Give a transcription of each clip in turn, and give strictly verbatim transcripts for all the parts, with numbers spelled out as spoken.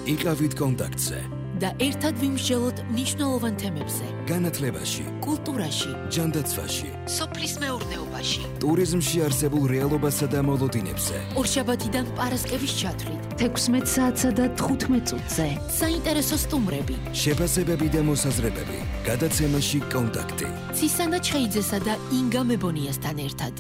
იყავით კონტაქტზე და ერთად ვიმსჯელოთ მნიშვნელოვან თემებზე. განათლებაში, კულტურაში, ჯანდაცვაში, სოფლის მეურნეობაში, ტურიზმში არსებულ რეალობასა და მოლოდინებზე. ორშაბათიდან პარასკევის ჩათვლით, თექვსმეტ საათსა და თხუთმეტ წუთზე. საინტერესო სტუმრები, შეფასებები და მოსაზრებები. გადაცემაში კონტაქტი. ცისანა ჩხეიძესა და ინგა მებონიასთან ერთად.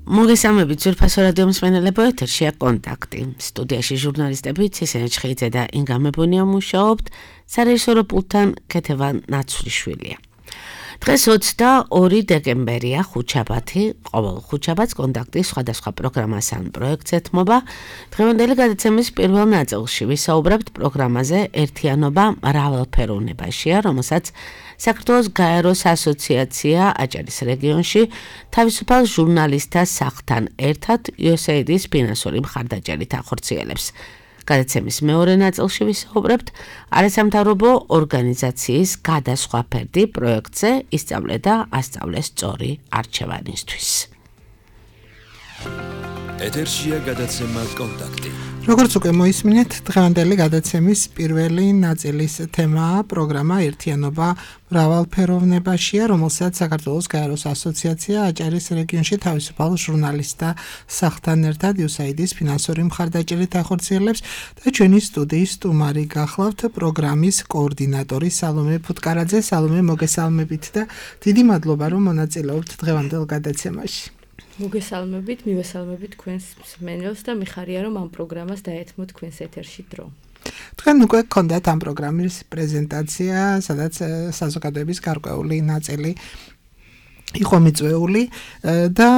მოგესალმებით ძვირფასო რადიო მსმენელებო, ეთერშია კონტაქტი. სტუდიაში ჟურნალისტები ცისანა ჩხეიძე და ინგა მებონია მუშაობთ, სარეჟისორო პულტთან ქეთევან ნაცვლიშვილია. დღეს ოცდაორი დეკემბერია, ხუთშაბათი, ყოველ ხუთშაბათს კონტაქტი სხვადასხვა პროგრამას ან პროექტს ეთმობა. დღევანდელი გადაცემის პირველ ნაწილში ვისაუბრებთ პროგრამაზე ერთიანობა მრავალფეროვნებაშია, რომელსაც საქართველოს გაეროს ასოციაცია აჭარის რეგიონში თავისუფალ ჟურნალისტთა სახლთან ერთად იუ ეს ეი აიდის ფინანსური მხარდაჭერით ახორციელებს. გადაცემის მეორე ნაწილში ვისაუბრებთ არასამთავრობო ორგანიზაციის გადასხვა ფერდი პროექტზე ისწავლე და ასწავლე სწორი არჩევანისთვის. ეთერშია გადაცემა კონტაქტი. როგორც უკვე მოისმინეთ, დღევანდელი გადაცემის პირველი ნაწილის თემაა პროგრამა ერთიანობა მრავალფეროვნებაშია, რომელსაც საქართველოს გაეროს ასოციაცია აჭარის რეგიონში თავისუფალ ჟურნალისტთა სახლთან ერთად იუ ეს ეი აიდის ფინანსური მხარდაჭერით ახორციელებს და ჩვენი სტუდიის სტუმარი გახლავთ პროგრამის კოორდინატორი სალომე ფუტკარაძე. სალომე, მოგესალმებით და დიდი მადლობა, რომ მონაწილეობთ დღევანდელ გადაცემაში. მოგესალმებით, მივესალმებით თქვენს მსმენელს და მიხარია, რომ ამ პროგრამას დაეთმოთ თქვენს ეთერში დრო. თქვენ უკვე გქონდათ ამ პროგრამის პრეზენტაცია, სადაც საზოგადოების გარკვეული ნაწილი იყო მიწვეული და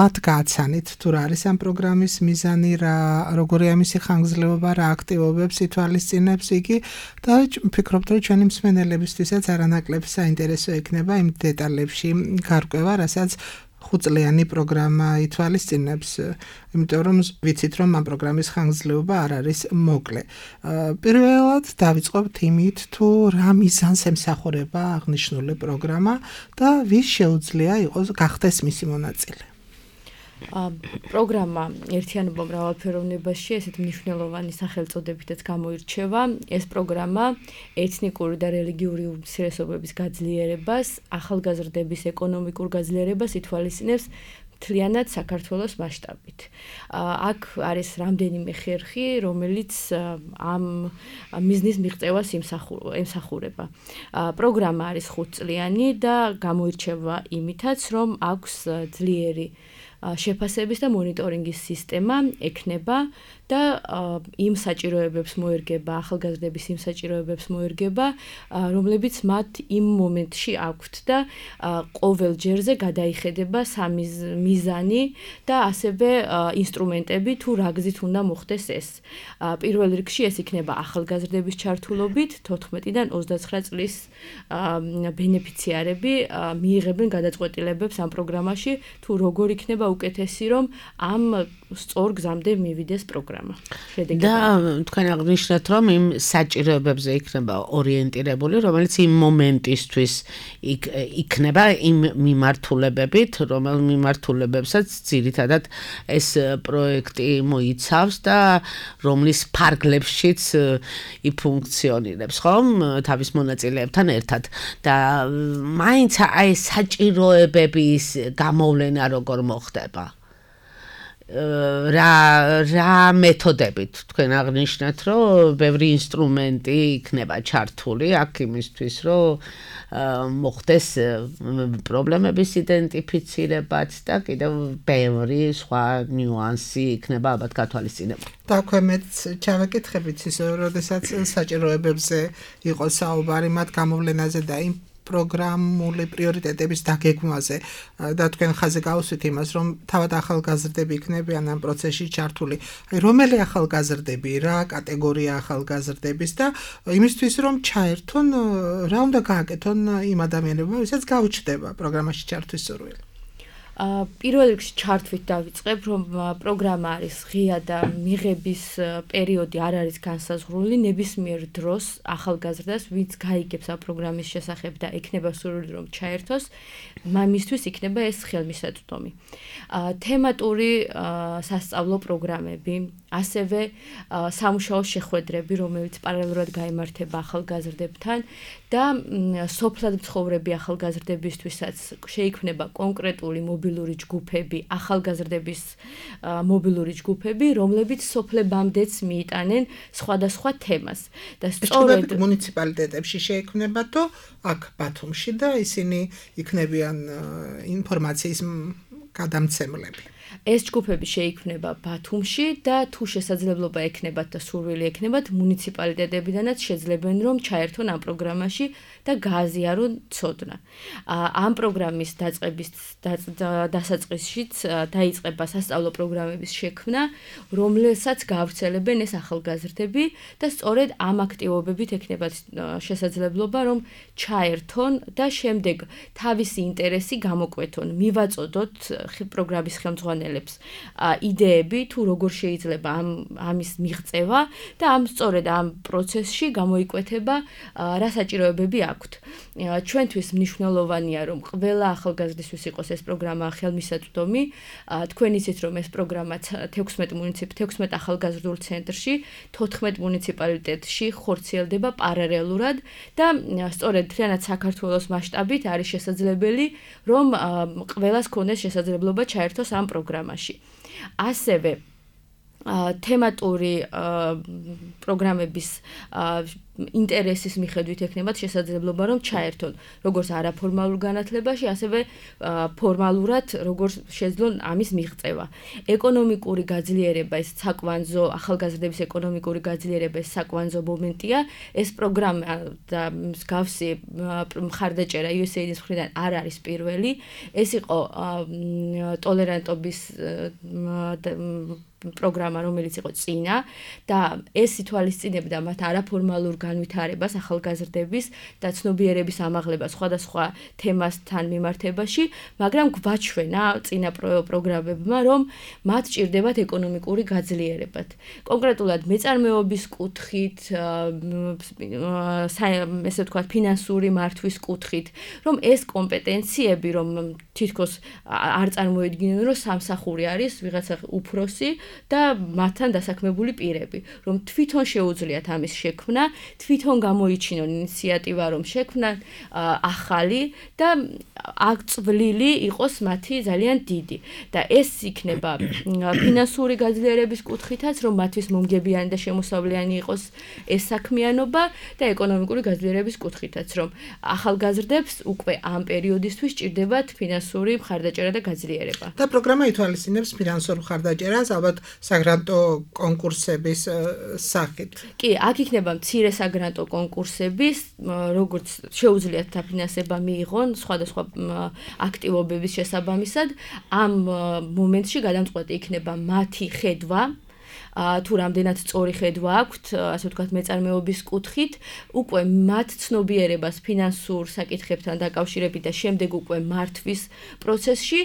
მათ გააცანით თუ რა არის ამ პროგრამის მიზანი, რა როგორია მისი ხანგრძლივობა, რა აქტივობებს ითვალისწინებს იგი და ვფიქრობთ, რომ ჩვენი მსმენელებისთვისაც არანაკლებ საინტერესო იქნება იმ დეტალებში გარკვევა, რასაც ხუთწლიანი პროგრამა ითვალისწინებს, იმიტომ რომ ვიცით, რომ ამ პროგრამის ხანგრძლივობა არ არის მოკლე. პირველად დავიწყებთ იმით, თუ რა მიზანს ემსახურება აღნიშნული პროგრამა და ვის შეუძლია იყოს გახდეს მისი მონაწილე. პროგრამა ერთიანობა მრავალფეროვნებაში ესეთ მნიშვნელოვანი სახელწოდებითაც გამოირჩევა. ეს პროგრამა ეთნიკური და რელიგიური უმცირესობების გაძლიერებას, ახალგაზრდების ეკონომიკურ გაძლიერებას ითვალისწინებს მთლიანად საქართველოს მასშტაბით. აქ არის რამდენიმე ხერხი, რომელიც ამ მიზნის მიღწევას ემსახურება. პროგრამა არის ხუთწლიანი და გამოირჩევა იმითაც, რომ აქვს ძლიერი შეფასების და მონიტორინგის სისტემა ექნება და იმ საჭიროებებს მოერგება, ახალგაზრდების იმ საჭიროებებს მოერგება, რომლებიც მათ იმ მომენტში აქვთ და ყოველ ჯერზე გადაიხედება სამიზანი და ასევე ინსტრუმენტები, თუ რა გზით უნდა მოხდეს ეს. პირველ რიგში ეს იქნება ახალგაზრდების ჩართულობით, თოთხმეტიდან ოცდაცხრა წლის ბენეფიციარები მიიღებენ გადაწყვეტილებებს ამ პროგრამაში, თუ როგორ იქნება უკეთესი, რომ ამ სწორ გზამდე მივიდეს პროგრამა. და თქვენ აღნიშნეთ, რომ იმ საჭიროებებზე იქნება ორიენტირებული, რომელიც იმ მომენტისთვის იქნება იმ მიმართულებებით, რომელ მიმართულებებსაც ძირითადად ეს პროექტი მოიცავს და რომლის ფარგლებშიც იფუნქციონირებს, ხომ, თავის მონაწილეებთან ერთად. და მაინც აი საჭიროებების გამოვლენა როგორ მოხდება? რა რა მეთოდებით თქვენ აღნიშნეთ, რომ ბევრი ინსტრუმენტი იქნება ჩართული აქ იმისთვის, რომ მოხდეს პრობლემების იდენტიფიცირებაც და კიდევ ბევრი სხვა ნიუანსი იქნება ალბათ გათვალისწინებული. და ქვემეც ჩავეკითხებით ისე, როდესაც საჭიროებებზე იყო საუბარი მათ გამოვლენაზე და იმ პროგრამული პრიორიტეტების დაგეგმვაზე და თქვენ ხაზზე გავუსვით იმას, რომ თავად ახალგაზრდები იქნებიან ამ პროცესში ჩართული. აი, რომელი ახალგაზრდები, რა კატეგორია ახალგაზრდების და იმისთვის, რომ ჩაერთონ, რა უნდა გააკეთონ იმ ადამიანებმა, ვისაც გაუჩნდება პროგრამაში ჩართვის სურვილი. პირველ რიგში ჩართვით დავიწყებ, რომ პროგრამა არის ღია და მიღების პერიოდი არ არის განსაზღვრული, ნებისმიერ დროს ახალგაზრდას, ვინც გაიგებს ამ პროგრამის შესახებ და ექნება სურვილი რომ ჩაერთოს, მამისთვის იქნება ეს ხელმისაწვდომი. თემატური სასწავლო პროგრამები, ასევე სამუშაო შეხვედრები, რომელიც პარალელურად გაიმართება ახალგაზრდებთან და სოფლად მცხოვრები ახალგაზრდებისთვისაც შეიქმნება კონკრეტული მობილური ჯგუფები, ახალგაზრდების მობილური ჯგუფები, რომლებიც სოფლებამდეც მიიტანენ სხვადასხვა თემას. და სწორედ მუნიციპალიტეტებში შეიქმნება თუ აქ ბათუმში და ისინი იქნებიან ინფორმაციის გადამცემლები. ეს ჯგუფები შეიქმნება ბათუმში და თუ შესაძლებლობა ექნებათ და სურვილი ექნებათ, მუნიციპალიტეტებიდანაც შეძლებენ რომ ჩაერთონ ამ პროგრამაში და გააზიარონ ცოდნა. ამ პროგრამის დაწყების დასაწყისშიც დაიწყება სასწავლო პროგრამების შექმნა, რომელსაც გავრცელებენ ეს ახალგაზრდები და სწორედ ამ აქტივობებით ექნებათ შესაძლებლობა რომ ჩაერთონ და შემდეგ თავისი ინტერესი გამოკვეთონ, მივაწოდოთ პროგრამის ხელმძღვანელებს იდეები თუ როგორ შეიძლება ამ ამის მიღწევა და ამ სწორედ ამ პროცესში გამოიკვეთება რა საჭიროებები აქვთ. ჩვენთვის მნიშვნელოვანია რომ ყველა ახალგაზრდისთვის იყოს ეს პროგრამა ხელმისაწვდომი. თქვენ იცით რომ ეს პროგრამა თექვსმეტ მუნიციპ თექვსმეტ ახალგაზრდულ ცენტრში, თოთხმეტ მუნიციპალიტეტში ხორციელდება პარალელურად და სწორედ მთლიანად საქართველოს მასშტაბით არის შესაძლებელი რომ ყველას ქონდეს შესაძლებლობა ჩაერთოს ამ პროგრამაში. ასევე თემატური პროგრამების ინტერესის მიხედვით ექნებათ შესაძლებლობა რომ ჩაერთონ როგორც არაფორმალურ განათლებაში, ასევე ფორმალურად როგორც შეძლონ ამის მიღწევა. ეკონომიკური გაძლიერება, ეს საკვანძო ახალგაზრდების ეკონომიკური გაძლიერება ეს საკვანძო მომენტია. ეს პროგრამა და მსგავსი მხარდაჭერა იუ ეს ეიდის მხრიდან არ არის პირველი. ეს იყო ტოლერანტობის პროგრამა, რომელიც იყო წინა და ეს ითვალისწინებდა მათ არაფორმალურ განვითარებას ახალგაზრდების და ცნობიერების ამაღლებას სხვადასხვა თემასთან მიმართებაში, მაგრამ გვაჩვენა წინა პროგრამებმა, რომ მათ ჭირდებათ ეკონომიკური გაძლიერება. კონკრეტულად მეწარმეობის კუთხით, ესე ვთქვათ, ფინანსური მართვის კუთხით, რომ ეს კომპეტენციები, რომ თითქოს არ წარმოედგინენ, რომ სამსახური არის ვიღაცა უფროსი და მათთან დასაქმებული პირები, რომ თვითონ შეუძლიათ ამის შექმნა, თვითონ გამოიჩინონ ინიციატივა, რომ შექმნან ახალი და აღწვლილი იყოს მათი ძალიან დიდი. და ეს იქნება ფინანსური გაძლიერების კუთხითაც, რომ მათთვის მომგებიანი და შემოსავლიანი იყოს ეს საქმიანობა და ეკონომიკური გაძლიერების კუთხითაც, რომ ახალგაზრდებს უკვე ამ პერიოდისთვის ჭირდებათ ფინანსური მხარდაჭერა და გაძლიერება. და პროგრამა ითვალისწინებს ფინანსურ მხარდაჭერას, ალბათ საგრანტო კონკურსების სახით. კი, აქ იქნება მცირე საგრანტო კონკურსების, როგორც შეუძლიათ დაფინანსება მიიღონ სხვადასხვა აქტივობების შესაბამისად. ამ მომენტში გადამწყვეტი იქნება მათი ხედვა, თუ რამდენად სწორი ხედვა აქვთ, ასე ვთქვათ, მეწარმეობის კუთხით, უკვე მათ ცნობიერებას ფინანსურ საკითხებთან დაკავშირებით და შემდეგ უკვე მართვის პროცესში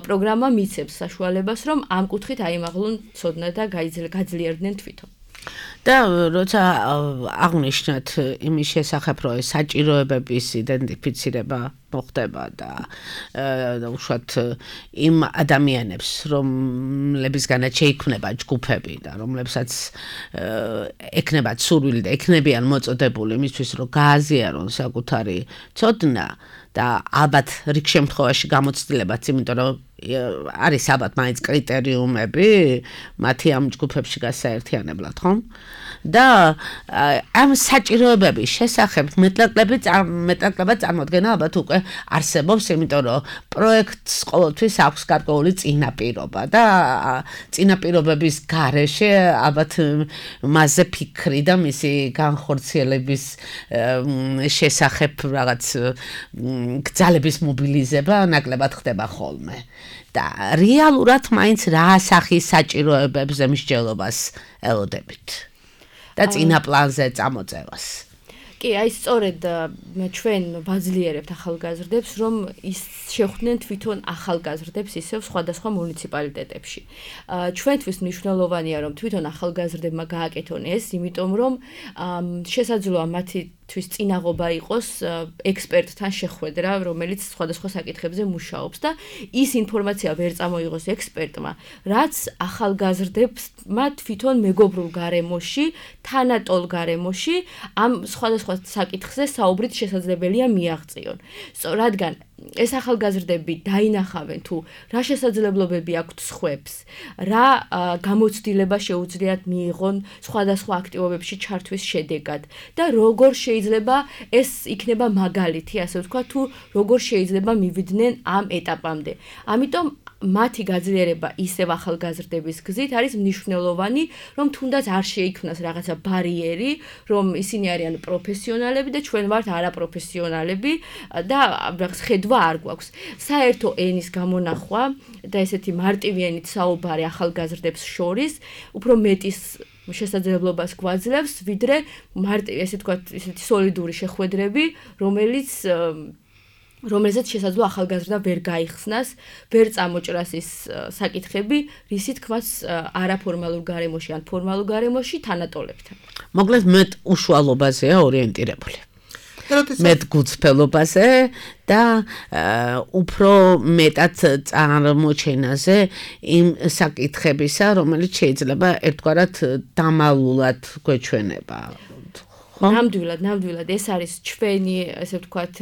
პროგრამა მიცემს საშუალებას, რომ ამ კუთხით აიმაღლონ ცოდნა და გაძლიერდნენ თვითონ. და როცა აღნიშნეთ იმის შესახებ, რომ საჭიროებების იდენტიფიცირება მოხდება და უშუალოდ იმ ადამიანებს, რომლებისგანაც შეიქმნება ჯგუფები და რომლებსაც ექნებათ სურვილი და ექნებიან მოწოდებული იმისთვის, რომ გააზიარონ საკუთარი ცოდნა და ალბათ რიგ შემთხვევაში გამოცდილებაც, იმიტომ რომ არის ალბათ მაინც კრიტერიუმები მათი ამ ჯგუფებში გასაერთიანებლად, ხო? და ამ საჭიროებების შესახებ მეტნაკლები მეტნაკლებად წარმოდგენა ალბათ უკვე არსებობს, იმიტომ რომ პროექტს ყოველთვის აქვს გარკვეული წინაპირობა და წინაპირობების გარეშე ალბათ მასზე ფიქრი და მისი განხორციელების შესახებ რაღაც გზალების მობილიზება ნაკლებად ხდება ხოლმე. და რეალურად მაინც რა სახის საჭიროებებს მსჯელობას ელოდებით და წინა პლანზე წამოწევას. კი, აი სწორედ ჩვენ ვაძლიერებთ ახალგაზრდებს, რომ ის შეხვდნენ თვითონ ახალგაზრდებს ისევ სხვადასხვა მუნიციპალიტეტებში. ჩვენთვის მნიშვნელოვანია, რომ თვითონ ახალგაზრდებმა გააკეთონ ეს, იმიტომ რომ შესაძლოა მათი თვის წინაღობა იყოს ექსპერტთან შეხვედრა, რომელიც სხვადასხვა საკითხებზე მუშაობს და ის ინფორმაცია ვერ წამოიღოს ექსპერტმა, რაც ახალგაზრდებმა თვითონ მეგობრულ გარემოში, თანატოლ გარემოში ამ სხვადასხვა საკითხზე საუბრით შესაძლებელია მიაღწიონ. რადგან ეს ახალგაზრდები დაინახავენ თუ რა შესაძლებლობები აქვთ სხვებს, რა გამოცდილება შეუძლიათ მიიღონ სხვადასხვა აქტივობებში ჩართვის შედეგად და როგორ შეიძლება ეს იქნება მაგალითი, ასე ვთქვა, თუ როგორ შეიძლება მივიდნენ ამ ეტაპამდე. ამიტომ მათი გაძლიერება ისევ ახალგაზრდების გზით არის მნიშვნელოვანი, რომ თუნდაც არ შეიქმნას რაღაცა ბარიერი, რომ ისინი არიან პროფესიონალები და ჩვენ ვართ არაპროფესიონალები და რაღაც ხედვა არ გვაქვს. საერთო ენის გამონახვა და ესეთი მარტივიანით საუბარი ახალგაზრდებს შორის უფრო მეტის შესაძლებლობას გვაძლევს, ვიდრე მარტივი, ესე ვთქვათ, ესეთი სოლიდური შეხვედრები, რომელიც რომელზეც შესაძლოა ახალგაზრდა ვერ გაიხსნას, ვერ წამოჭრას ის საკითხები, რისი თქმაც არაფორმალურ გარემოში ან ფორმალურ გარემოში თანატოლებთან. მოკლედ მეტ უშუალობაზეა ორიენტირებული. მეტ გულწრფელობაზე და უფრო მეტად წარმოჩენაზე იმ საკითხებისა, რომელიც შეიძლება ერთგვარად დამალულად გვეჩვენება. ნამდვილად, ნამდვილად ეს არის ჩვენი, ესე ვთქვათ,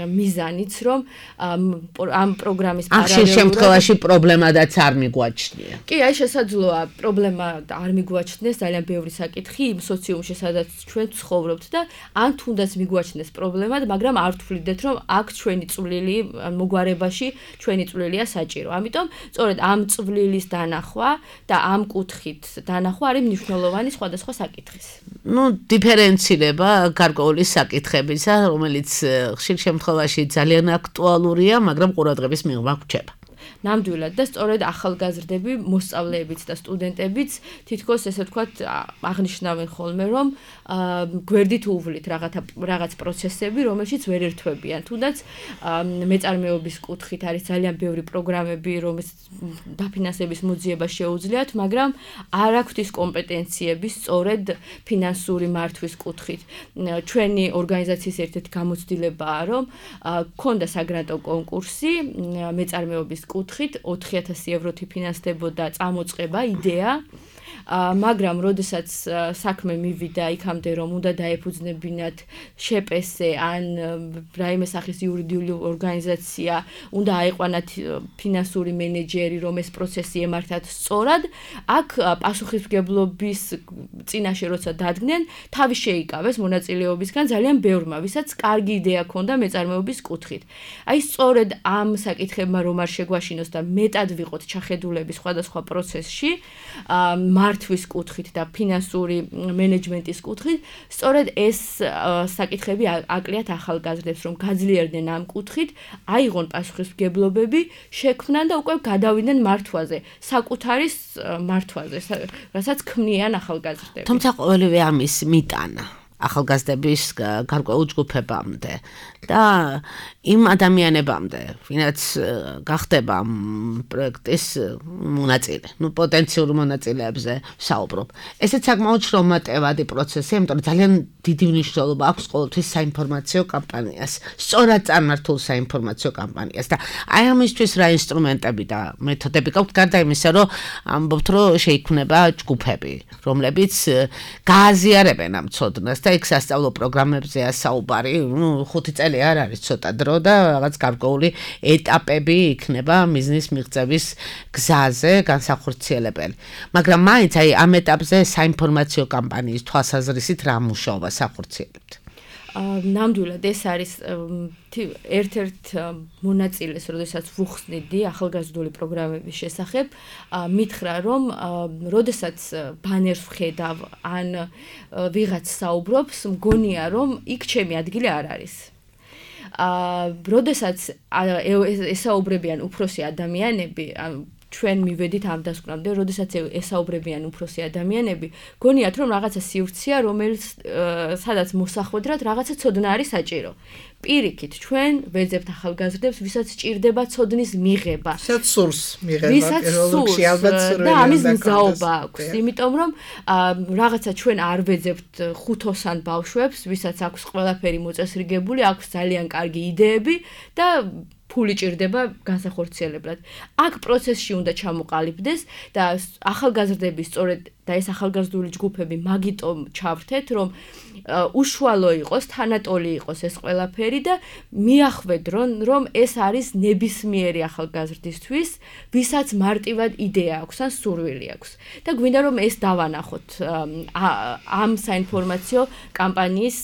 მიზანიც, რომ ამ პროგრამის პარალელურად ამ შემთხვევაში პრობლემადაც არ მიგვაჩნია. კი, აი შესაძლოა პრობლემა არ მიგვაჩნდეს, ძალიან ბევრი საკითხი იმ სოციუმში, სადაც ჩვენ ცხოვრობთ და ან თუნდაც მიგვაჩნდეს პრობლემად, მაგრამ არ თვლიდეთ, რომ აქ ჩვენი წვლილი მოგვარებაში ჩვენი წვლილია საჭირო. ამიტომ სწორედ ამ წვლილის დანახვა და ამ კუთხით დანახვა არის მნიშვნელოვანი სხვადასხვა საკითხის. ნუ დიფერენცირება გარკვეული საკითხებისა, რომელიც ხშირ შემთხვევაში ძალიან აქტუალურია, მაგრამ ყურადღების მიღება გვჭირდება. ნამდვილად და სწორედ ახალგაზრდები, მოსწავლეებიც და სტუდენტებიც თითქოს ესე ვთქვათ აღნიშნავენ ხოლმე, რომ გვერდით უვლით რაღაცა რაღაც პროცესები, რომელშიც ვერ ერთვებიან. თუნდაც მეწარმეობის კუთხით არის ძალიან ბევრი პროგრამები, რომელიც დაფინანსების მოძიება შეუძლიათ, მაგრამ არ აქვთ ის კომპეტენციები სწორედ ფინანსური მართვის კუთხით. ჩვენი ორგანიზაციის ერთ-ერთი გამოცდილებაა, რომ გქონდა საგრანტო კონკურსი მეწარმეობის კუთხით ოთხი ათასი ევროთი ფინანსდებოდა წამოწყება იდეა, მაგრამ როდესაც საქმე მივიდა იქამდე, რომ უნდა დაეფუძნებინათ შეპესე ან რაიმე სახის იურიდიული ორგანიზაცია, უნდა აიყვანათ ფინანსური მენეჯერი, რომ ეს პროცესი ემართათ სწორად, აქ პასუხისმგებლობის წინაშე როცა დადგნენ, თავი შეიკავეს მონაწილეობისგან ძალიან ბევრმა, ვისაც კარგი იდეა ჰქონდა მეწარმეობის კუთხით. აი სწორედ ამ საკითხებმა რომ არ შეგვაშინოს და მეტად ვიყოთ ჩახედულები სხვადასხვა პროცესში, მართვის კუთხით და ფინანსური მენეჯმენტის კუთხით, სწორედ ეს საკითხები აკლიათ ახალგაზრდებს, რომ გაძლიერდნენ ამ კუთხით, აიღონ პასუხისმგებლობები, შექმნან და უკვე გადავიდნენ მართვაზე, საკუთარი მართვაზე, რასაც ქმნიან ახალგაზრდები. თუმცა ყოველივე ამის მიტანა ახალგაზრდების გარკვეულ ჯგუფებამდე და იმ ადამიანებამდე, ვინაც გახდება პროექტის მონაწილე, ну პოტენციურ მონაწილეებზე საუბრობ. ესეც საკმაოდ შრომატევადი პროცესია, იმიტომ რომ ძალიან დიდი მნიშვნელობა აქვს ყოველთვის საინფორმაციო კამპანიას, სწორად წარმართულ საინფორმაციო კამპანიას და აი ამისთვის რა ინსტრუმენტები და მეთოდები გაქვთ, გარდა იმისა, რომ ამბობთ, რომ შეიქმნება ჯგუფები, რომლებიც გააზიარებენ ამ ცოდნას და იქ სასწავლო პროგრამებზეა საუბარი, ну ხუთი წელი არ არის ცოტა დრო და რაღაც გარკვეული ეტაპები იქნება მიზნის მიღწევის გზაზე განსახორციელებელი. მაგრამ მაინც აი ამ ეტაპზე საინფორმაციო კამპანიის თვალსაზრისით რა მუშაობა სახორციელებთ? ნამდვილად ეს არის ერთ-ერთ მონაწილეს, როდესაც ვუხსნიდი ახალგაზრდული პროგრამების შესახებ, მითხრა, რომ როდესაც ბანერს ვხედავ ან ვიღაც საუბრობს, მგონია, რომ იქ ჩემი ადგილი არ არის. როდესაც ესაუბრებიან უფროსი ადამიანები, ჩვენ მივედით ამ დასკვნამდე, როდესაც ესაუბრებიან უფროსი ადამიანები, გონიათ რომ რაღაცა სივრცეა, რომელიც სადაც მოსახვედრად რაღაცა ცოდნა არის საჭირო. პირიქით, ჩვენ ვეძებთ ახალგაზრდებს, ვისაც სჭირდება ცოდნის მიღება. ვისაც სურს მიღება, პირველში ალბათ სურვილი და ამის მგზაობა აქვს, იმიტომ რომ რაღაცა ჩვენ არ ვეძებთ ხუთოსან ბავშვებს, ვისაც აქვს ყველაფერი მოწესრიგებული, აქვს ძალიან კარგი იდეები და ფული ჭირდება განსახორციელებლად. აქ პროცესში უნდა ჩამოყალიბდეს და ახალგაზრდები სწორედ და ეს ახალგაზრდული ჯგუფები მაგიტომ ჩავრთეთ, რომ უშუალო იყოს, თანატოლი იყოს ეს ყველაფერი და მიახვედრონ, რომ ეს არის ნებისმიერი ახალგაზრდისთვის, ვისაც მარტივად იდეა აქვს ან სურვილი აქვს. და გვინდა რომ ეს დავანახოთ ამ საინფორმაციო კამპანიის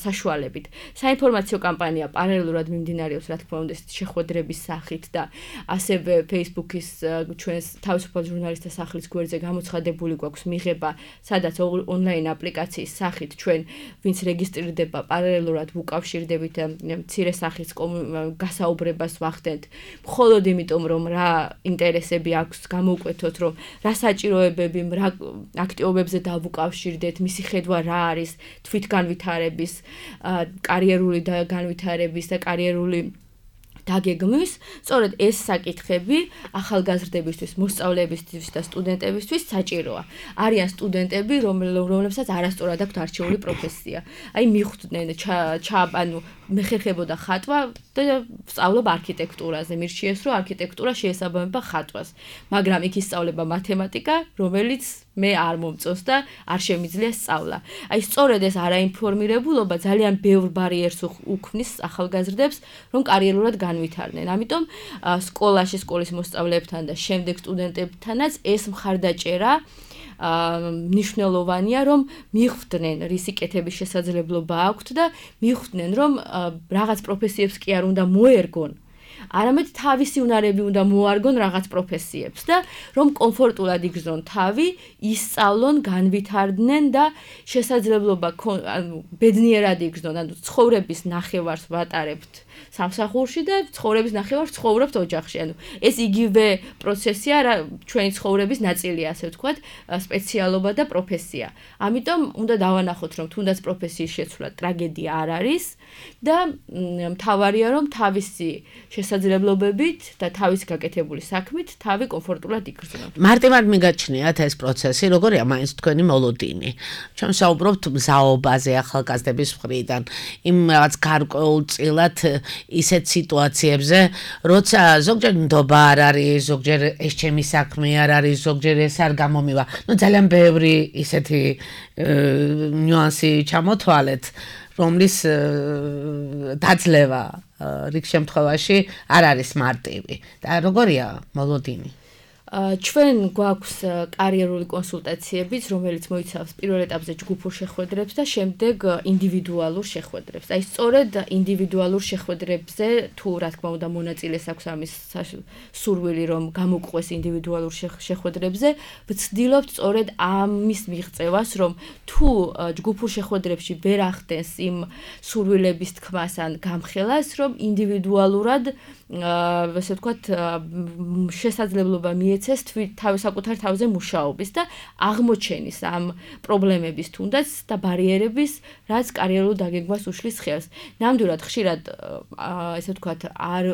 საშუალებით. საინფორმაციო კამპანია პარალელურად მიმდინარეობს, რა თქმა უნდა, შეხვედრების სახით და ასევე Facebook-ის ჩვენს თავისუფალ ჟურნალისტთა სახლის გვერდზე გამოცხადებული გვაქვს მიღება, სადაც ონლაინ აპლიკაციის სახით ჩვენ ვინც რეგისტრირდება პარალელურად ვუკავშირდებით მცირე სახის გასაუბრებას ვახდენთ, მხოლოდ იმიტომ რომ რა ინტერესები აქვს გამოვკვეთოთ, რომ რა საჭიროებები, რა აქტივობებზე დავუკავშირდეთ, მისი ხედვა რა არის თვითგანვითარების, კარიერული და განვითარების და კარიერული დაგეგმვის, სწორედ ეს საკითხები ახალგაზრდებისთვის, მოსწავლეებისთვის და სტუდენტებისთვის საჭიროა. არიან სტუდენტები, რომლებსაც არასწორად აქვთ არჩეული პროფესია. აი მიხვდნენ ჩააბანო მეხერხებოდა ხატვა და სწავლობ არქიტექტურაზე. მირჩიეს, რომ არქიტექტურა შეესაბამება ხატვას, მაგრამ იქ ისწავლება მათემატიკა, რომელიც მე არ მომწონს და არ შემიძლია სწავლა. აი სწორედ ეს არაინფორმირებულობა ძალიან ბევრ ბარიერს უქმნის ახალგაზრდებს, რომ კარიერულად განვითარდნენ. ამიტომ სკოლაში, სკოლის მოსწავლეებთან და შემდეგ სტუდენტებთანაც ეს მხარდაჭერა მნიშვნელოვანია, რომ მიხვდნენ, რისი კეთების შესაძლებლობა აქვთ და მიხვდნენ, რომ რაღაც პროფესიებს კი არ უნდა მოერგონ, არამედ თავისი უნარები უნდა მოარგონ რაღაც პროფესიებს და რომ კომფორტულად იგრძნონ თავი, ისწავლონ, განვითარდნენ და შესაძლებლობა ბედნიერად იგრძნონ, ანუ ცხოვრების ნახევარს ვატარებთ სამსახურში და ცხოვრების ნახევარს ცხოვრობთ ოჯახში. ანუ ეს იგივე პროცესია, რა ჩვენი ცხოვრების ნაწილია, ასე ვთქვათ, სპეციალობა და პროფესია. ამიტომ უნდა დავანახოთ, რომ თუნდაც პროფესიის შეცვლა ტრაგედია არ არის და მთავარია, რომ თავისი შესაძლებლობებით და თავის გაკეთებული საქმით თავი კომფორტულად იგრძნო. მარტივად მიგაჩნიათ ეს პროცესი, როგორია მაინც თქვენი მოლოდინი. ჩვენ საუბრობთ მზაობაზე ახალგაზრდების მხრიდან, იმ რაღაც გარკვეულწილად ისეთ სიტუაციებზე, როცა ზოგჯერ ნდობა არ არის, ზოგჯერ ეს ჩემი საქმე არ არის, ზოგჯერ ეს არ გამომივა. ნუ ძალიან ბევრი ისეთი ნიუანსი ჩამოთვალეთ, რომლის დაძლევა რიგ შემთხვევაში არ არის მარტივი. და როგორია მოლოდინი? ჩვენ გვაქვს კარიერული კონსულტაციებიც, რომელიც მოიცავს პირველ ეტაპზე ჯგუფურ შეხვედრებს და შემდეგ ინდივიდუალურ შეხვედრებს. აი სწორედ ინდივიდუალურ შეხვედრებზე თუ რა თქმა უნდა მონაწილეს აქვს ამის სურვილი, რომ გამოგყვეს ინდივიდუალურ შეხვედრებზე, ვცდილობთ სწორედ ამის მიღწევას, რომ თუ ჯგუფურ შეხვედრებში ვერ ახდენს იმ სურვილების თქმას ან გამხელას, რომ ინდივიდუალურად ასე ვთქვათ შესაძლებლობა მიეცეს თავის საკუთარ თავზე მუშაობის და აღმოჩენის ამ პრობლემების თუნდაც და ბარიერების, რაც კარიერულ დაგეგმვას უშლის ხელს. ნამდვილად ხშირად ასე ვთქვათ არ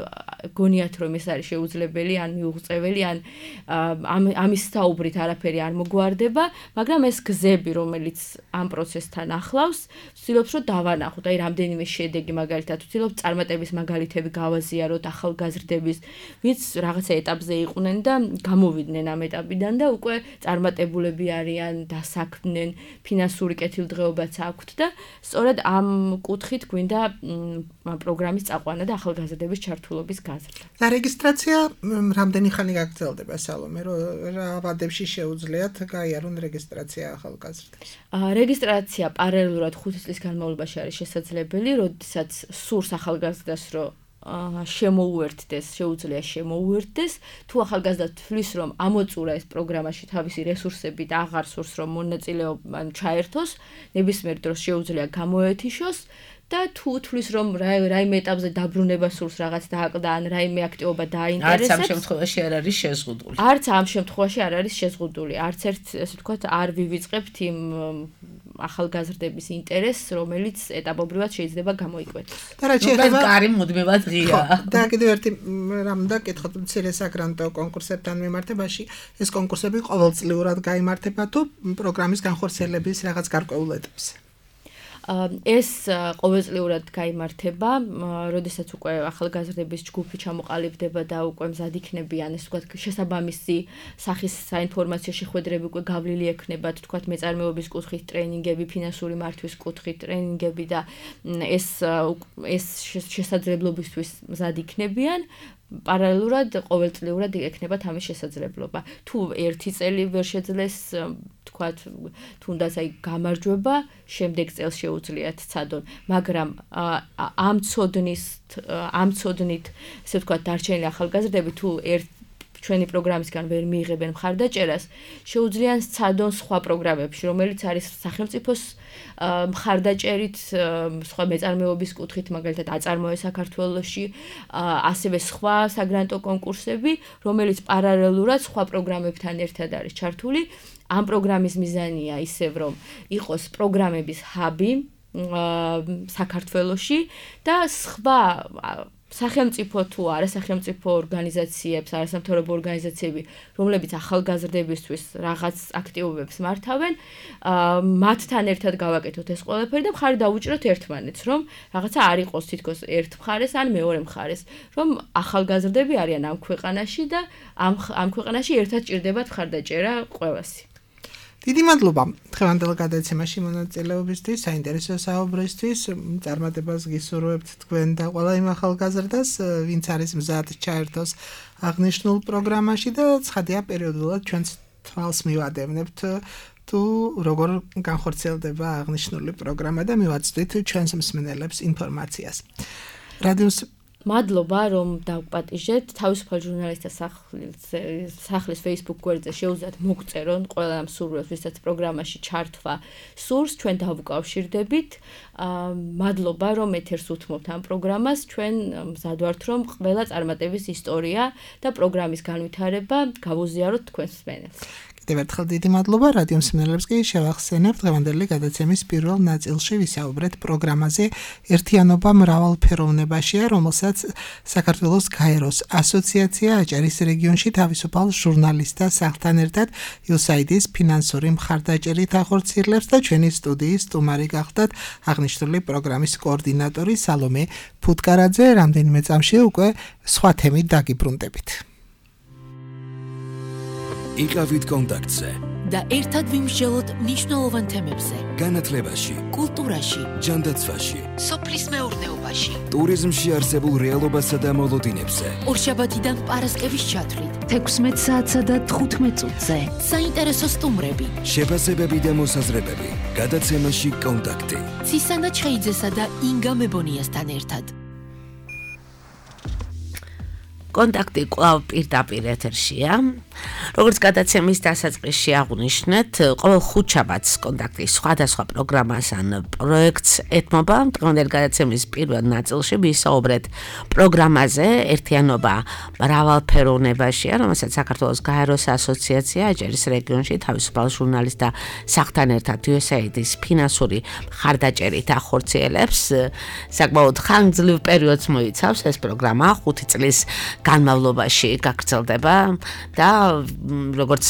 გონიათ რომ ეს არის შეუძლებელი ან მიუღწეველი ან ამის საუბრით არაფერი არ მოგვარდება, მაგრამ ეს გზები, რომელიც ამ პროცესთან ახლავს, ვცდილობთ რომ დავანახოთ, აი რამდენიმე შედეგი მაგალითად ვცდილობთ წარმატების მაგალითები გავაზიაროთ ახალგაზრდების, ვინც რაღაცა ეტაპზე იყვნენ და გამოვიდნენ ამ ეტაპიდან და უკვე წარმატებულები არიან, დასაქმდნენ, ფინანსური კეთილდღეობაც აქვთ და სწორედ ამ კუთხით გვინდა პროგრამის წაყვანა და ახალგაზრდების ჩართულობის გაზრდა. და რეგისტრაცია რამდენი ხანი გაგრძელდება, სალომე, რა ვადებში შეუძლიათ გაიარონ რეგისტრაცია ახალგაზრდებს? რეგისტრაცია პარალელურად ხუთი წლის განმავლობაში არის შესაძლებელი, როდესაც სურს ახალგაზრდას, რომ შემოუერთდეს, შეუძლია შემოუერთდეს, თუ ახალგაზრდა თვლის, რომ ამოწურა ეს პროგრამაში თავისი რესურსები და აღარ სურს, რომ მონაწილეობა ჩაერთოს, ნებისმიერ დროს შეუძლია გამოეთიშოს და თუ თვლის, რომ რაიმე ეტაპზე დაბრუნება სურს რაღაც დააკლდა ან რაიმე აქტივობა დააინტერესებს, არც ამ შემთხვევაში არ არის შეზღუდული. არც ამ შემთხვევაში არ არის შეზღუდული. არც ერთ, ესე ვთქვათ, არ ვივიწყებთ იმ ახალგაზრდების ინტერესს, რომელიც ეტაპობრივად შეიძლება გამოიკვეთოს. და რა შეიძლება კარი მუდმივად ღიაა. და კიდევ ერთი რამ და კითხოთ მცირე საგრანტო კონკურსებთან მიმართებაში, ეს კონკურსები ყოველწლიურად გაიმართება თუ პროგრამის განხორციელების რაღაც გარკვეულ ეტაპზე? ეს ყოველწლიურად გაიმართება, როდესაც უკვე ახალგაზრდების ჯგუფი ჩამოყალიბდება და უკვე მზად იქნებიან, ეს ვთქვათ, შესაბამისი სახის საინფორმაციო შეხვედრები უკვე გავლილი ექნებათ, ვთქვათ, მეწარმეობის კუთხით ტრენინგები, ფინანსური მართვის კუთხით ტრენინგები და ეს ეს შესაძლებლობისთვის მზად იქნებიან. პარალელურად ყოველწლიურად ექნება ამის შესაძლებლობა. თუ ერთი წელი ვერ შეძლეს, თქვათ, თუნდაც აი გამარჯვება, შემდეგ წელს შეუძლიათ ცადონ, მაგრამ ამ ცოდნის ამ ცოდნით, ესე ვთქვათ, დარჩენილი ახალგაზრდები თუ ერთ ჩვენი პროგრამისგან ვერ მიიღებენ მხარდაჭერას, შეუძლიან სცადონ სხვა პროგრამებში, რომელიც არის სახელმწიფოს მხარდაჭერით, სხვა მეწარმეობის კუთხით, მაგალითად აწარმოე საქართველოში, ასევე სხვა საგრანტო კონკურსები, რომელიც პარალელურად სხვა პროგრამებთან ერთად არის ჩართული. ამ პროგრამის მიზანია ისევ, რომ იყოს პროგრამების ჰაბი საქართველოში და სხვა სახელმწიფო თუ არასახელმწიფო ორგანიზაციებს, არასამთავრობო ორგანიზაციები, რომლებიც ახალგაზრდებისთვის რაღაც აქტივობებს მართავენ, მათთან ერთად გავაკეთოთ ეს ყველაფერი და მხარი დავუჭიროთ ერთმანეთს, რომ რაღაცა არ იყოს თითქოს ერთ მხარეს ან მეორე მხარეს, რომ ახალგაზრდები არიან ამ ქვეყანაში და ამ ამ ქვეყანაში ერთად ჭირდებათ მხარდაჭერა ყველასი. დიდი მადლობა დღევანდელ გადაცემაში მონაწილეობისთვის, საინტერესო საუბრისთვის, წარმატებას გისურვებთ თქვენ და ყველა იმ ახალგაზრდას, ვინც არის მზად ჩაერთოს აღნიშნულ პროგრამაში და ცხადია პერიოდულად ჩვენს თვალს მივადევნებთ თუ როგორ განხორციელდება აღნიშნული პროგრამა და მივაწვდით ჩვენს მსმენელებს ინფორმაციას. რადიოს მადლობა, რომ დავპატიჟეთ. თავისუფალ ჟურნალისტთა სახლის Facebook გვერდზე შეუძლიათ მოგწერონ ყველა ამ სურვილს, ვისაც პროგრამაში ჩართვა სურს, ჩვენ დავუკავშირდებით. მადლობა, რომ ეთერს უთმობთ ამ პროგრამას. ჩვენ მზად ვართ, რომ ყველა წარმატების ისტორია და პროგრამის განვითარება გავუზიაროთ თქვენს მსმენელს. კიდევ ერთხელ დიდი მადლობა. რადიო მსმენელებს კი შევახსენებთ, დღევანდელი გადაცემის პირველ ნაწილში ვისაუბრეთ პროგრამაზე ერთიანობა მრავალფეროვნებაშია, რომელსაც საქართველოს გაეროს ასოციაცია აჭარის რეგიონში თავისუფალ ჟურნალისტთა სახლთან ერთად იუ ეს აი დი-ის ფინანსური მხარდაჭერით ახორციელებს და ჩვენი სტუდიის სტუმარი გახდათ აღნიშნული პროგრამის კოორდინატორი სალომე ფუტკარაძე. რამდენიმე წამში უკვე სხვა თემით დაგიბრუნდებით. იყავით კონტაქტზე და ერთად ვიმსჯელოთ მნიშვნელოვან თემებზე. განათლებაში, კულტურაში, ჯანდაცვაში, სოფლის მეურნეობაში, ტურიზმში არსებულ რეალობასა და მოლოდინებზე. ორშაბათიდან პარასკევის ჩათვლით, თექვსმეტ საათსა და თხუთმეტ წუთზე. საინტერესო სტუმრები, შეფასებები და მოსაზრებები. გადაცემაში კონტაქტი. ცისანა ჩხეიძესა და ინგა მებონიასთან ერთად. კონტაქტი კვლავ პირდაპირ ეთერშია. როგორც გადაცემის დასაწყისში აღვნიშნეთ, ყოველ ხუთშაბათს კონტაქტი სხვადასხვა პროგრამას ან პროექტს ეთმობა. დღევანდელი გადაცემის პირველ ნაწილში ვისაუბრეთ პროგრამაზე ერთიანობა მრავალფეროვნებაშია, რომელსაც საქართველოს გაეროს ასოციაცია აჭარის რეგიონში თავისუფალ ჟურნალისტთა სახლთან ერთად იუ ეს აი დი-ის ფინანსური მხარდაჭერით ახორციელებს. საკმაოდ ხანგრძლივ პერიოდს მოიცავს ეს პროგრამა, ხუთი წლის განმავლობაში გაგრძელდება და როგორც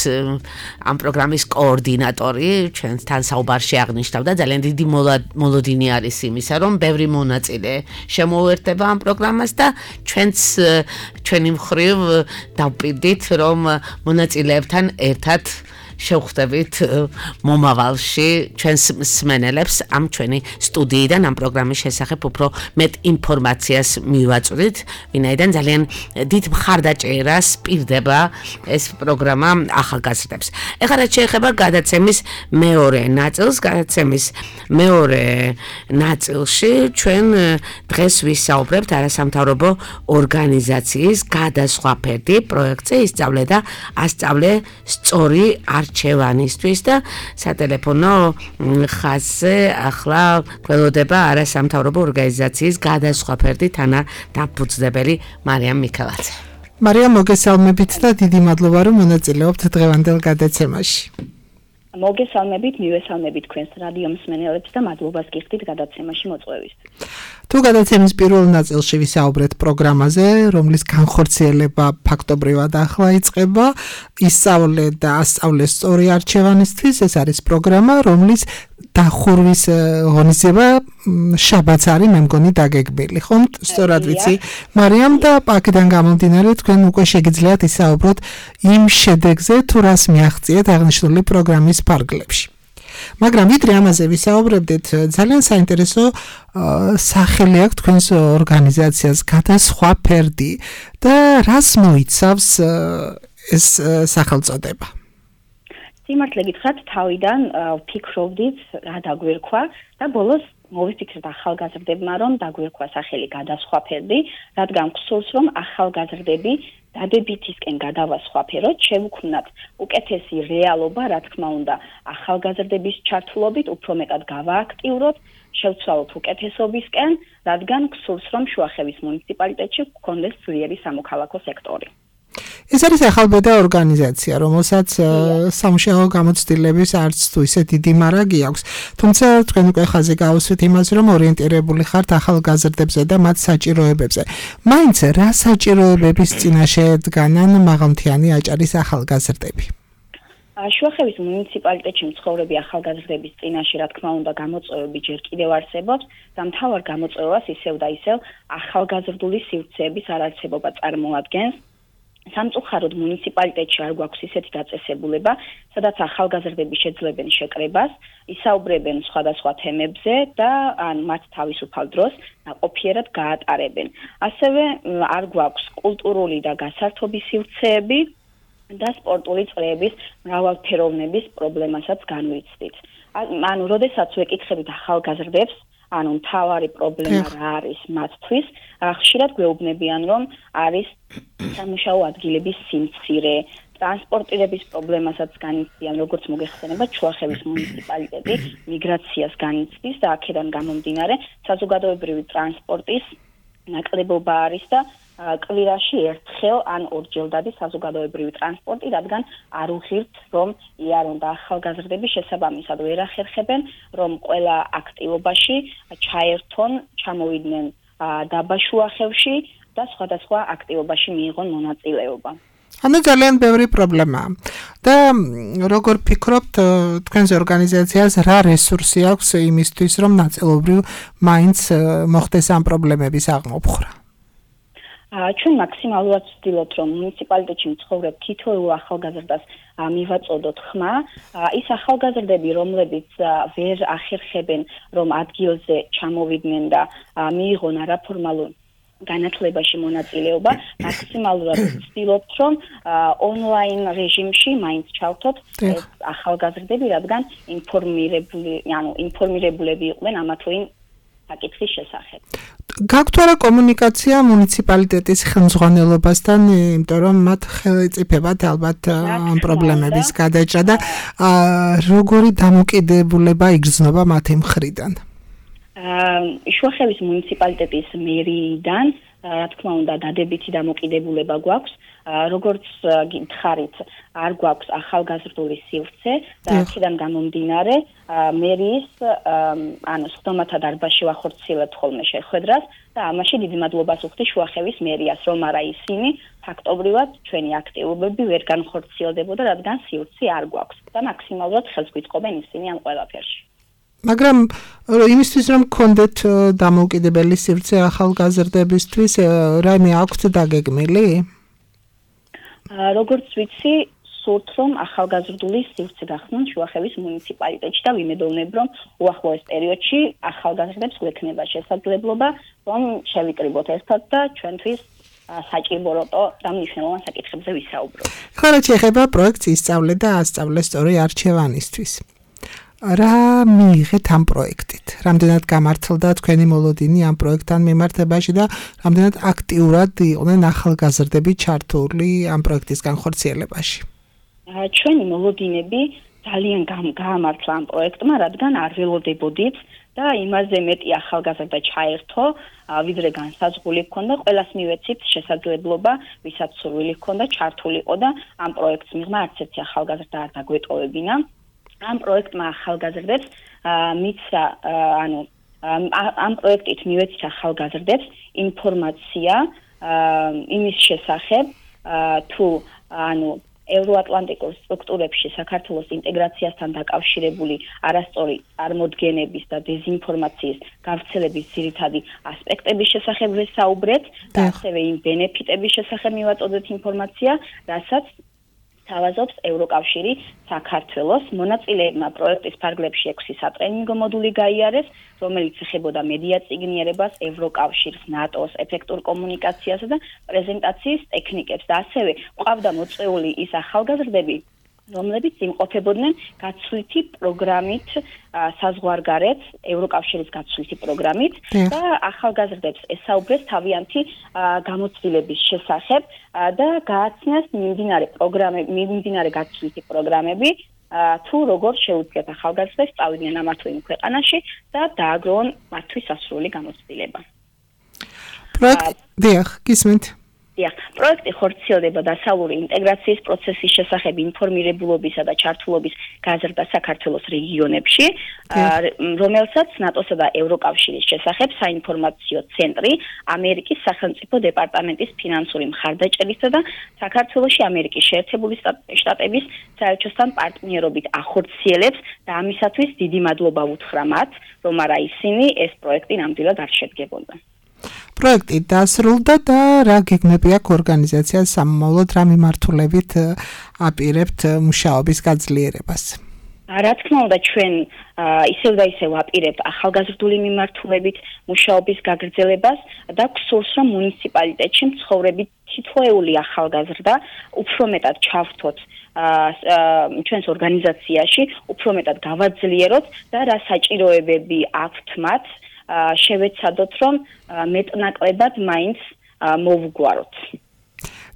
ამ პროგრამის კოორდინატორი ჩვენთან საუბარში აღნიშნავდა, ძალიან დიდი მოლოდინი არის იმისა, რომ ბევრი მონაწილე შემოუერთდება ამ პროგრამას და ჩვენც ჩვენი მხრივ დავპირდით, რომ მონაწილეებთან ერთად შევხვდებით მომავალში ჩვენს მსმენელებს ამ ჩვენი სტუდიიდან ამ პროგრამის შესახებ უფრო მეტ ინფორმაციას მივაწვდით, ვინაიდან ძალიან დიდ მხარდაჭერას პირდება ეს პროგრამა ახალგაზრდებს. ეხლა რაც შეეხება გადაცემის მეორე ნაწილს, გადაცემის მეორე ნაწილში ჩვენ დღეს ვისაუბრებთ არასამთავრობო ორგანიზაციის გადასხვა ფერდი პროექტზე ისწავლე და ასწავლე სწორი არჩევანისთვის და სატელეფონო ხაზზე ახლა გველოდება არასამთავრობო ორგანიზაციის გადასხვა ფერდი თანადამფუძნებელი მარიამ მიქელაძე. მარიამ, მოგესალმებით და დიდი მადლობა რომ მონაწილეობთ დღევანდელ გადაცემაში. მოგესალმებით, მივესალმებით თქვენს რადიო მსმენელებს და მადლობას გიხდით გადაცემაში მოწვევისთვის. თუ გადაცემის პირველ ნაწილში ვისაუბრეთ პროგრამაზე, რომლის განხორციელება ფაქტობრივად ახლა იწყება, ისწავლე და ასწავლე სწორი არჩევანისთვის, ეს არის პროგრამა, რომლის დახურვის ღონისძიება შაბათს არის, მე მგონი დაგეგმილი, ხომ? სწორად ვიცი, მარიამ, და აქედან გამომდინარე თქვენ უკვე შეგიძლიათ ისაუბროთ იმ შედეგზე, თუ რას მიაღწიეთ აღნიშნული პროგრამის ფარგლებში. მაგრამ ვიდრე ამაზე ვისაუბრებდით, ძალიან საინტერესო სახელი აქვს თქვენს ორგანიზაციას გადასხვა ფერდი და რას მოიცავს ეს სახელწოდება? სიმართლე გითხრათ, თავიდან ვფიქრობდით რა დაგვერქვა და ბოლოს მოვიფიქრეთ ახალგაზრდებმა, რომ დაგვერქვა სახელი გადასხვა ფერდი, რადგან გსურს, რომ ახალგაზრდები დადებითისკენ გადავასხვაფეროთ, შევუქმნათ უკეთესი რეალობა, რა თქმა უნდა, ახალგაზრდების ჩართულობით უფრო მეტად გავააქტიუროთ, შევცვალოთ უკეთესობისკენ, რადგან გსურს, რომ შუახევის მუნიციპალიტეტში გქონდეს ძლიერი სამოქალაქო სექტორი. ეს არის ახალბედა ორგანიზაცია, რომელსაც სამუშაო გამოცდილების არც თუ ისე დიდი მარაგი აქვს. თუმცა თქვენ უკვე ხაზი გაუსვით იმას, რომ ორიენტირებული ხართ ახალგაზრდებზე და მათ საჭიროებებზე. მაინც რა საჭიროებების წინაშე დგანან მაღალმთიანი აჭარის ახალგაზრდები? შუახევის მუნიციპალიტეტში მცხოვრები ახალგაზრდების წინაშე, რა თქმა უნდა, გამოწვევები ჯერ კიდევ არსებობს და მთავარ გამოწვევას ისევ და ისევ ახალგაზრდული სივრცეების არარსებობა წარმოადგენს. სამწუხაროდ მუნიციპალიტეტში არ გვაქვს ისეთი დაწესებულება, სადაც ახალგაზრდები შეძლებენ შეკრებას, ისაუბრებენ სხვადასხვა თემებზე და ან მათ თავისუფალ დროს ნაყოფიერად გაატარებენ. ასევე არ გვაქვს კულტურული და გასართობი სივრცეები და სპორტული წრეების მრავალფეროვნების პრობლემასაც განვიცდით. ანუ, როდესაც ვეკითხებით ახალგაზრდებს, ანუ მთავარი პრობლემა რა არის მათთვის, ხშირად გვეუბნებიან, რომ არის სამუშაო ადგილების სიმცირე, ტრანსპორტირების პრობლემასაც განიცდიან, როგორც მოგეხსენება, შუახევის მუნიციპალიტეტი მიგრაციას განიცდის და აქედან გამომდინარე საზოგადოებრივი ტრანსპორტის ნაკლებობა არის და კვირაში ერთხელ ან ორჯერ დადის საზოგადოებრივი ტრანსპორტი, რადგან არ უღირთ, რომ იარონ და ახალგაზრდები შესაბამისად ვერ ახერხებენ, რომ ყველა აქტივობაში ჩაერთონ, ჩამოვიდნენ დაბა შუახევში და სხვადასხვა აქტივობაში მიიღონ მონაწილეობა. ანუ ძალიან ბევრი პრობლემაა. და როგორ ფიქრობთ, თქვენს ორგანიზაციას რა რესურსი აქვს იმისთვის, რომ ნაწილობრივ მაინც მოხდეს ამ პრობლემების აღმოფხვრა? ჩვენ მაქსიმალურად ვცდილობთ, რომ მუნიციპალიტეტში მცხოვრებ თითოეულ ახალგაზრდას მივაწოდოთ ხმა. ის ახალგაზრდები, რომლებიც ვერ ახერხებენ, რომ ადგილზე ჩამოვიდნენ და მიიღონ არაფორმალურ განათლებაში მონაწილეობა, მაქსიმალურად ვცდილობთ, რომ ონლაინ რეჟიმში მაინც ჩავთოთ ეს ახალგაზრდები, რადგან ინფორმირებული, ანუ ინფორმირებულები იყვნენ ამა თუ იმ საკითხის შესახებ. გაქვთ რა კომუნიკაცია მუნიციპალიტეტის ხელმძღვანელობასთან, იმიტომ რომ მათ ხელწიფებათ ალბათ ამ პრობლემების გადაჭრა და როგორი დამოკიდებულება იგრძნობა მათი მხრიდან? შუახევის მუნიციპალიტეტის მერიიდან, რა თქმა უნდა, დადებითი დამოკიდებულება გვაქვს. როგორც გითხარით, არ გვაქვს ახალგაზრდული სივრცე და აქედან გამომდინარე, მერიის ანუ სხდომათა დარბაზში ვახორციელებთ ხოლმე შეხვედრას და ამაში დიდი მადლობას ვუხდი შუახევის მერიას, რომ არა ისინი ფაქტობრივად ჩვენი აქტივობები ვერ განხორციელდებოდა, რადგან სივრცე არ გვაქვს და მაქსიმალურად ხელს გვიწყობენ ისინი ამ ყველაფერში. მაგრამ იმისთვის რომ გქონდეთ დამოუკიდებელი სივრცე ახალგაზრდებისთვის, რაიმე აქვთ დაგეგმილი? როგორც ვიცი, სურთ რომ ახალგაზრდული სივრცე გახსნან შუახევის მუნიციპალიტეტში და ვიმედოვნებ რომ უახლოეს პერიოდში ახალგაზრდებს გვექნება შესაძლებლობა რომ შევიკრიბოთ ერთად და ჩვენთვის საჭირო როტო და მნიშვნელოვან საკითხებზე ვისაუბროთ. ხო, რაც შეეხება პროექტს ისწავლე და ასწავლე სწორი არჩევანისთვის. რა მიიღეთ ამ პროექტით? რამდენად გამართლდა თქვენი მოლოდინი ამ პროექტთან მიმართებაში და რამდენად აქტიურად იყვნენ ახალგაზრდები ჩართული ამ პროექტის განხორციელებაში? ჩვენი მოლოდინები ძალიან გაამართლა ამ პროექტმა, რადგან არ ველოდებოდით და იმაზე მეტი ახალგაზრდა ჩაერთო, ვიდრე განსაზღვრული ჰქონდა, ყველას მივეცით შესაძლებლობა, ვისაც სურვილი ჰქონდა, ჩართულიყო და ამ პროექტს მიღმა არც ერთი ახალგაზრდა არ დაგვეტოვებინა. ამ პროექტმა ახალგაზრდებს მისცა, ანუ ამ პროექტით მივეცით ახალგაზრდებს ინფორმაცია იმის შესახებ, თუ ანუ ევროატლანტიკურ სტრუქტურებში საქართველოს ინტეგრაციასთან დაკავშირებული არასწორი წარმოდგენების და დეზინფორმაციის გავრცელების ძირითადი ასპექტების შესახებ ვესაუბრეთ და ასევე იმ ბენეფიტების შესახებ მივაწოდეთ ინფორმაცია, რასაც თავაზობს ევროკავშირი საქართველოს. მონაწილეებმა პროექტის ფარგლებში ექვსი სატრენინგო მოდული გაიარეს, რომელიც ეხებოდა მედია წიგნიერებას, ევროკავშირს, ნატოს, ეფექტურ კომუნიკაციასა და პრეზენტაციის ტექნიკებს და ასევე ყავდა მოწვეული ის ახალგაზრდები, რომლებიც იმყოფებოდნენ გაცვლითი პროგრამით საზღვარგარეთ, ევროკავშირის გაცვლითი პროგრამით და ახალგაზრდებს ესაუბრეს თავიანთი გამოცდილების შესახებ და გააცნეს მიმდინარე პროგრამები, მიმდინარე გაცვლითი პროგრამები, თუ როგორ შეუძლიათ ახალგაზრდებს წავიდნენ ამა თუ იმ ქვეყანაში და დააგროვონ მათთვის სასრული გამოცდილება. პროექტი, დიახ, გისმენთ. დიახ, პროექტი ხორციელდება დასავლური ინტეგრაციის პროცესის შესახებ ინფორმირებულობისა და ჩართულობის გაზრდა საქართველოს რეგიონებში, რომელსაც ნატოსა და ევროკავშირის შესახებ საინფორმაციო ცენტრი, ამერიკის სახელმწიფო დეპარტამენტის ფინანსური მხარდაჭერისა და საქართველოში ამერიკის შეერთებული შტატების საელჩოსთან პარტნიორობით ახორციელებს და ამისათვის დიდი მადლობა ვუთხრა მათ, რომ არა ისინი ეს პროექტი ნამდვილად არ შედგებოდა. პროექტი დასრულდა და რა გეგმები აქვს ორგანიზაციას სამომავლოდ, რა მიმართულებით აპირებთ მუშაობის გაძლიერებას? რა თქმა უნდა, ჩვენ ისევ და ისევ აპირებთ ახალგაზრდული მიმართულებით მუშაობის გაგრძელებას და გსურს, რომ მუნიციპალიტეტში მცხოვრები თითოეული ახალგაზრდა უფრო მეტად ჩავრთოთ ჩვენს ორგანიზაციაში, უფრო მეტად გავაძლიეროთ და რა საჭიროებები აქვთ მათ შევეცადოთ, რომ მეტნაკლებად მაინც მოვუგვაროთ.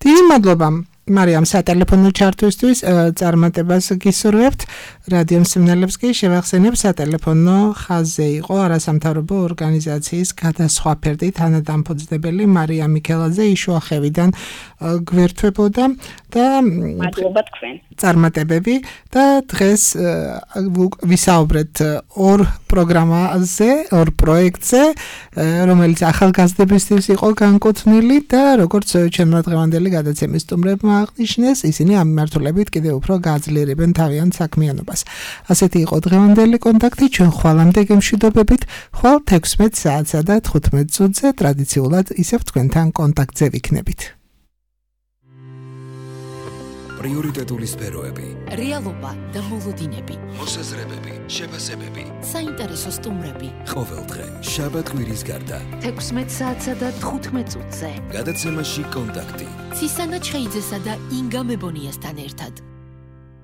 დიდი მადლობა მარიამ სატელეფონო ჩართვისთვის, წარმატებას გისურვებთ. რადიო მსმენელებს კი შევახსენებ, სატელეფონო ხაზზე იყო არასამთავრობო ორგანიზაციის გადასხვაფერდი თანადამფუძნებელი მარიამ მიქელაძე იშუახევიდან გვერდთვებოდა და მადლობა თქვენ. წარმატებები და დღეს ვისაუბრეთ ორ პროგრამაზე, ორ პროექტზე, რომელიც ახალგაზრდებისთვის იყო განკუთვნილი და როგორც ჩემმა დღევანდელი გადაცემის სტუმრებმა აღნიშნეს, ისინი ამ მიმართულებით კიდევ უფრო გააძლიერებენ თავიანთ საქმიანობას. ასეთი იყო დღევანდელი კონტაქტი, ჩვენ ხვალამდე გემშვიდობებით, ხვალ თექვსმეტ საათსა და თხუთმეტ წუთზე ტრადიციულად ისევ თქვენთან კონტაქტზე ვიქნებით. პრიორიტეტული სფეროები, რეალობა და მოლოდინები, მოსაზრებები, შეფასებები, საინტერესო სტუმრები. ყოველდღე შაბათ-კვირის გარდა თექვსმეტ საათსა და თხუთმეტ წუთზე გადაცემაში კონტაქტი. ცისანა ჩხეიძესა და ინგა მებონიასთან ერთად.